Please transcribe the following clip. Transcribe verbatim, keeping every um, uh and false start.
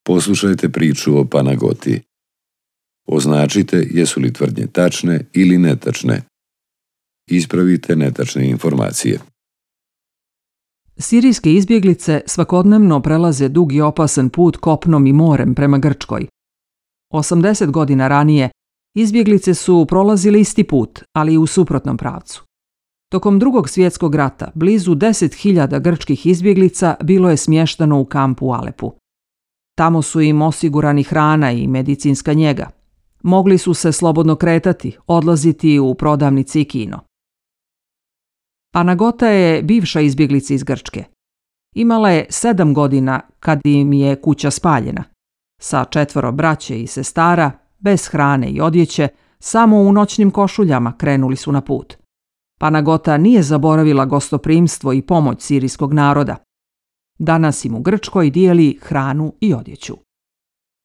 Poslušajte priču o Panagoti. Označite jesu li tvrdnje tačne ili netačne. Ispravite netačne informacije. Sirijske izbjeglice svakodnevno prelaze dug i opasan put kopnom i morem prema Grčkoj. osamdeset godina ranije izbjeglice su prolazili isti put, ali u suprotnom pravcu. Tokom Drugog svjetskog rata blizu deset hiljada grčkih izbjeglica bilo je smješteno u kampu u Alepu. Tamo su im osigurani hrana i medicinska njega. Mogli su se slobodno kretati, odlaziti u prodavnici i kino. Panagota je bivša izbjeglica iz Grčke. Imala je sedam godina kad im je kuća spaljena. Sa četvoro braće i sestara, bez hrane i odjeće, samo u noćnim košuljama krenuli su na put. Panagota nije zaboravila gostoprimstvo i pomoć sirijskog naroda. Danas im u Grčkoj dijeli hranu i odjeću.